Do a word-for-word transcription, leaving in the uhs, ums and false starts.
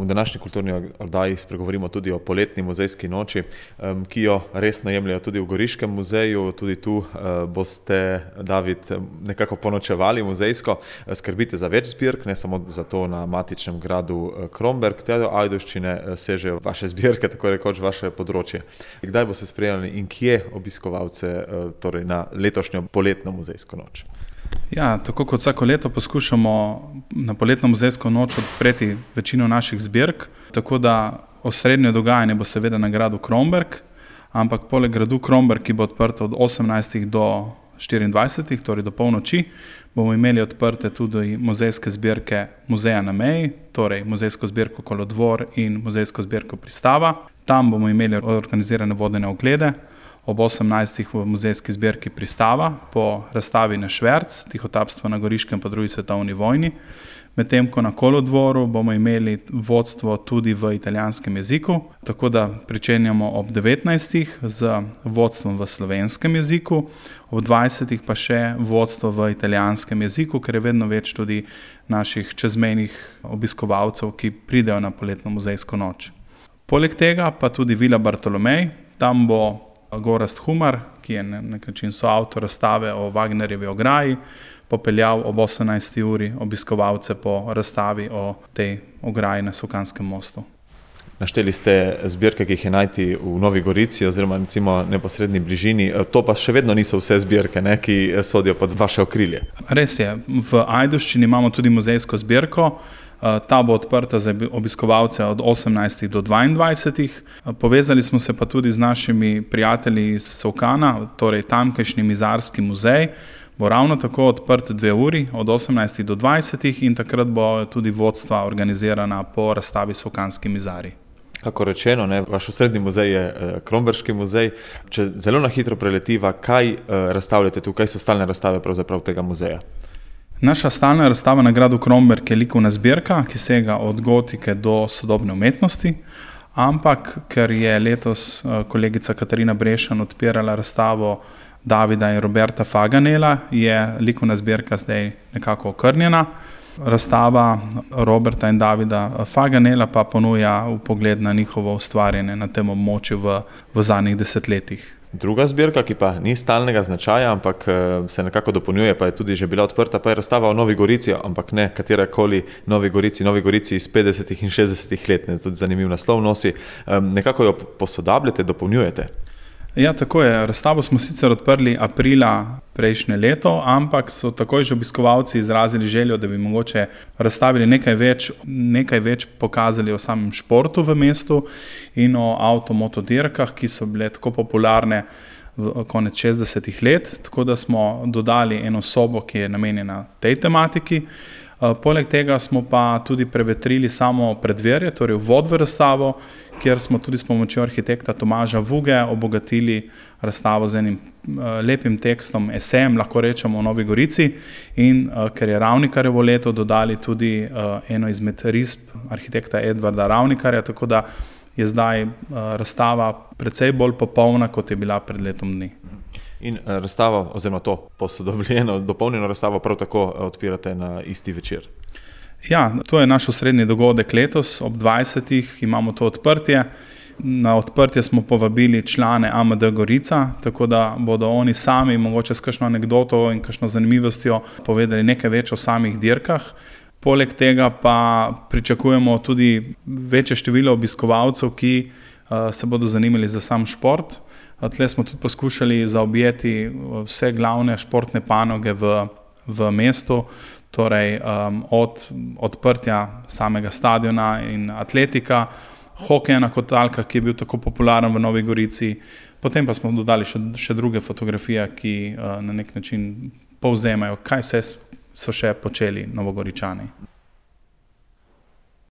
v današnji kulturni oddaji spregovorimo tudi o poletni muzejski noči, ki jo resno jemljajo tudi v Goriškem muzeju. Tudi tu boste, David, nekako ponočevali muzejsko. Skrbite za več zbirk, ne samo za to na matičnem gradu Kromberk. Te do Ajdovščine sežejo vaše zbirke, tako rekoč vaše področje. Kdaj boste sprejeli in kje obiskovalce torej na letošnjo poletno muzejsko noč? Ja, tako kot vsako leto poskušamo na poletno muzejsko noč odpreti večino naših zbirk, tako da osrednje dogajanje bo seveda na gradu Kromberk, ampak poleg gradu Kromberk, ki bo odprt od osemnajstih do štiriindvajsetih, torej do polnoči, bomo imeli odprte tudi muzejske zbirke Muzeja na meji, torej muzejsko zbirko Kolodvor in muzejsko zbirko Pristava. Tam bomo imeli organizirane vodene oglede. Ob osemnajstih v muzejski zbirki Pristava po razstavi na Šverc, tihotapstvo na Goriškem po drugi svetovni vojni. Medtem ko na Kolodvoru bomo imeli vodstvo tudi v italijanskem jeziku, tako da pričenjamo ob devetnajstih z vodstvom v slovenskem jeziku, ob dvajsetih pa še vodstvo v italijanskem jeziku, ker je vedno več tudi naših čezmejnih obiskovalcev, ki pridejo na poletno muzejsko noč. Poleg tega pa tudi Vila Bartolomej, tam bo Gorazd Humar, ki je na nek način soavtor razstave o Wagnerjevi ograji, popeljal ob osemnajsti uri obiskovalce po razstavi o tej ograji na Sokanskem mostu. Našteli ste zbirke, ki jih je najti v Novi Gorici oziroma recimo neposredni bližini. To pa še vedno niso vse zbirke, ne, ki sodijo pod vaše okrilje. Res je. V Ajdovščini imamo tudi muzejsko zbirko. Ta bo odprta za obiskovalce od osemnajstih do dvaindvajsetih. Povezali smo se pa tudi z našimi prijatelji iz Sokana, torej tamkajšnji mizarski muzej. Bo ravno tako odprt dve uri, od osemnajstih do dvajsetih, in takrat bo tudi vodstva organizirana po razstavi Sokanski mizari. Kako rečeno, ne, vaš osrednji muzej je Kromberški muzej. Če zelo na hitro preletiva, kaj razstavljate tu, kaj so stalne razstave pravzaprav tega muzeja? Naša stalna razstava na gradu Kromberk je likovna zbirka, ki sega od gotike do sodobne umetnosti, ampak ker je letos kolegica Katarina Brešan odpirala razstavo Davida in Roberta Faganela, je likovna zbirka zdaj nekako okrnjena. Razstava Roberta in Davida Faganela pa ponuja vpogled na njihovo ustvarjanje na tem območju v, v zadnjih desetletjih. Druga zbirka, ki pa ni stalnega značaja, ampak se nekako dopolnjuje, pa je tudi že bila odprta, pa je razstava o Novi Gorici, ampak ne katerakoli Novi Gorici, Novi Gorici iz petdesetih in šestdesetih let, ne, tudi zanimiv naslov nosi. Nekako jo posodabljate, dopolnjujete? Ja, tako je. Razstavo smo sicer odprli aprila prejšnje leto, ampak so takoj že obiskovalci izrazili željo, da bi mogoče razstavili nekaj več, nekaj več pokazali o samem športu v mestu in o avtomotodirkah, ki so bile tako popularne v konec šestdesetih let, tako da smo dodali eno sobo, ki je namenjena tej tematiki. Poleg tega smo pa tudi prevetrili samo preddverje, torej vhod v razstavo, kjer smo tudi s pomočjo arhitekta Tomaža Vuge obogatili razstavo z enim lepim tekstom, esejem, lahko rečemo, o Novi Gorici, in ker je Ravnikarjevo leto, dodali tudi eno izmed risb arhitekta Edvarda Ravnikarja, tako da je zdaj razstava precej bolj popolna, kot je bila pred letom dni. In razstavo, oziroma to posodobljeno, dopolnjeno razstavo prav tako odpirate na isti večer? Ja, to je naš osrednji dogodek letos, ob dvajsetih imamo to odprtje. Na odprtje smo povabili člane A M D Gorica, tako da bodo oni sami mogoče s kakšno anekdoto in kakšno zanimivostjo povedali nekaj več o samih dirkah. Poleg tega pa pričakujemo tudi večje število obiskovalcev, ki se bodo zanimali za sam šport. Tle smo tudi poskušali zaobjeti vse glavne športne panoge v, v mestu, torej um, od odprtja samega stadiona in atletika, hokeja na kotalkah, ki je bil tako popularen v Novi Gorici, potem pa smo dodali še, še druge fotografije, ki uh, na nek način povzemajo, kaj vse so še počeli Novogoričani.